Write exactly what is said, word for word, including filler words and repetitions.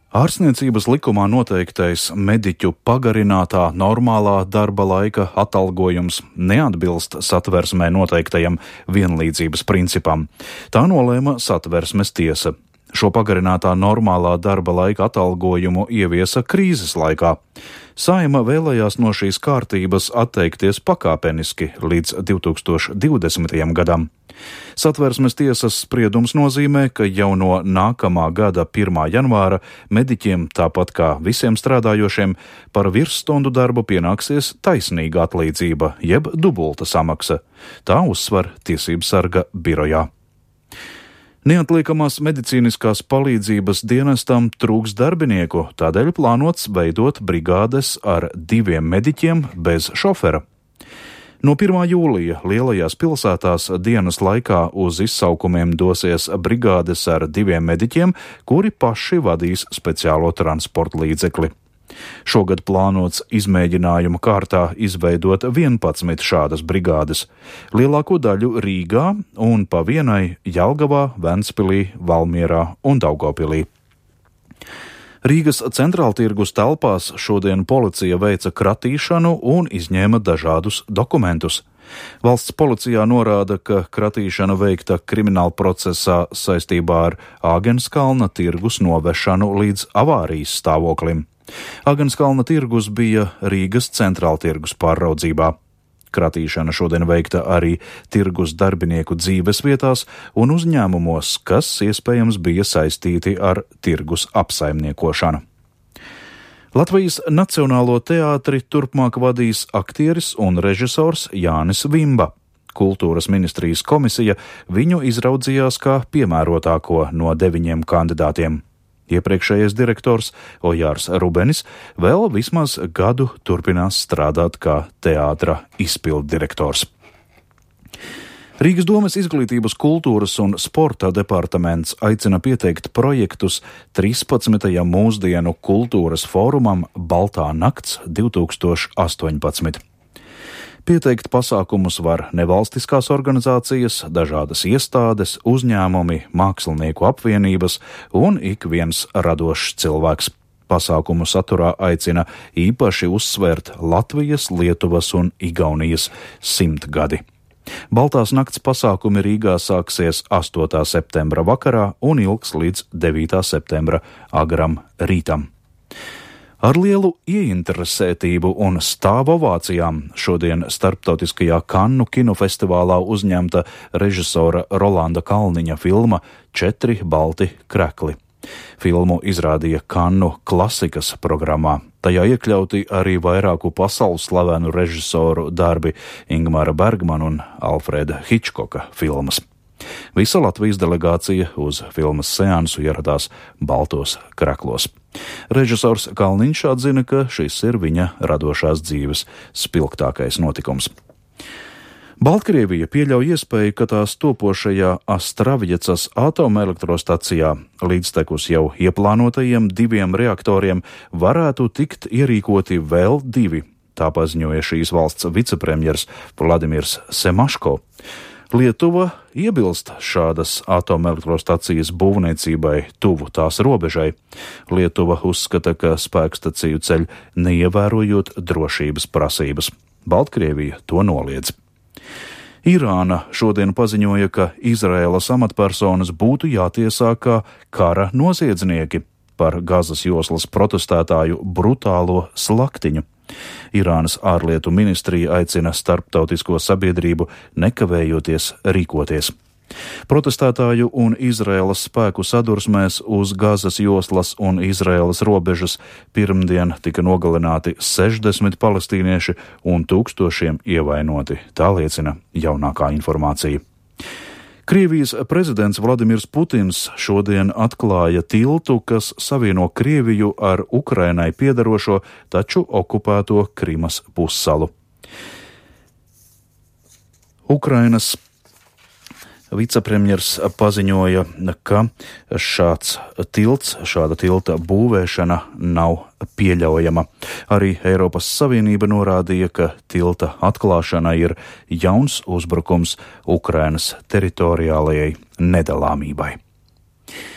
Ārstniecības likumā noteiktais mediķu pagarinātā normālā darba laika atalgojums neatbilst Satversmē noteiktajam vienlīdzības principam. Tā nolēma Satversmes tiesa. Šo pagarinātā normālā darba laika atalgojumu ieviesa krīzes laikā. Saeima vēlējās no šīs kārtības atteikties pakāpeniski līdz divi tūkstoši divdesmitajam gadam. Satversmes tiesas spriedums nozīmē, ka jau no nākamā gada pirmā janvāra mediķiem, tāpat kā visiem strādājošiem, par virsstundu darbu pienāksies taisnīga atlīdzība, jeb dubulta samaksa. Tā uzsver Tiesību sarga birojā. Neatliekamās medicīniskās palīdzības dienestam trūks darbinieku, tādēļ plānots veidot brigādes ar diviem mediķiem bez šofera. No pirmā jūlija lielajās pilsētās dienas laikā uz izsaukumiem dosies brigādes ar diviem mediķiem, kuri paši vadīs speciālo transporta līdzekli. Šogad plānots izmēģinājuma kārtā izveidot vienpadsmit šādas brigādes, lielāko daļu Rīgā un pa vienai Jelgavā, Ventspilī, Valmierā un Daugavpilī. Rīgas centrāltirgus telpās šodien policija veica kratīšanu un izņēma dažādus dokumentus. Valsts policijā norāda, ka kratīšana veikta krimināla procesā saistībā ar Āgenskalna tirgus novešanu līdz avārijas stāvoklim. Āgenskalna tirgus bija Rīgas centrāltirgus pārraudzībā. Kratīšana šodien veikta arī tirgus darbinieku dzīves vietās un uzņēmumos, kas iespējams bija saistīti ar tirgus apsaimniekošanu. Latvijas Nacionālo teātri turpmāk vadīs aktieris un režisors Jānis Vimba. Kultūras ministrijas komisija viņu izraudzījās kā piemērotāko no deviņiem kandidātiem. Iepriekšējais direktors Ojārs Rubenis vēl vismaz gadu turpinās strādāt kā teātra izpilddirektors. Rīgas domes izglītības, kultūras un sporta departaments aicina pieteikt projektus trīspadsmitajam mūsdienu kultūras fórumam Baltā nakts divi tūkstoši astoņpadsmit. Pieteikt pasākumus var nevalstiskās organizācijas, dažādas iestādes, uzņēmumi, mākslinieku apvienības un ik viens radošs cilvēks. Pasākumu saturā aicina īpaši uzsvērt Latvijas, Lietuvas un Igaunijas simtgadi. Baltās nakts pasākumi Rīgā sāksies astotā septembra vakarā un ilgs līdz devītā septembra agram rītam. Ar lielu ieinteresētību un stāvu ovācijām šodien starptautiskajā Kannu kinofestivālā uzņemta režisora Rolanda Kalniņa filma Četri balti krekli. Filmu izrādīja Kannu klasikas programmā. Tajā iekļauti arī vairāku pasaules slavenu režisoru darbi Ingmara Bergmana un Alfreda Hičkoka filmas. Visa Latvijas delegācija uz filmas seansu ieradās baltos kreklos. Režisors Kalniņš atzina, ka šis ir viņa radošās dzīves spilgtākais notikums. Baltkrievija pieļauj iespēju, ka tās topošajā Astravjecas atomelektrostacijā līdztekus jau ieplānotajiem diviem reaktoriem varētu tikt ierīkoti vēl divi, tā paziņoja šīs valsts vicepremjers Vladimirs Semaško. Lietuva iebilst šādas atomelektrostacijas būvniecībai tuvu tās robežai. Lietuva uzskata, ka spēkstaciju ceļ neievērojot drošības prasības. Baltkrievija to noliedz. Irāna šodien paziņoja, ka Izraēlas amatpersonas būtu jātiesā kā kara noziedznieki par Gazas joslas protestētāju brutālo slaktiņu. Irānas ārlietu ministrija aicina starptautisko sabiedrību nekavējoties rīkoties. Protestētāju un Izraēlas spēku sadursmēs uz Gazas joslas un Izraēlas robežas pirmdien tika nogalināti sešdesmit palestīnieši un tūkstošiem ievainoti, tā liecina jaunākā informācija. Krievijas prezidents Vladimirs Putins šodien atklāja tiltu, kas savieno Krieviju ar Ukrainai piederošo, taču okupēto Krimas pussalu. Ukrainas vicepremjers paziņoja, ka šāds tilts, šāda tilta būvēšana nav pieļaujama. Arī Eiropas Savienība norādīja, ka tilta atklāšana ir jauns uzbrukums Ukrainas teritoriālajai nedalāmībai.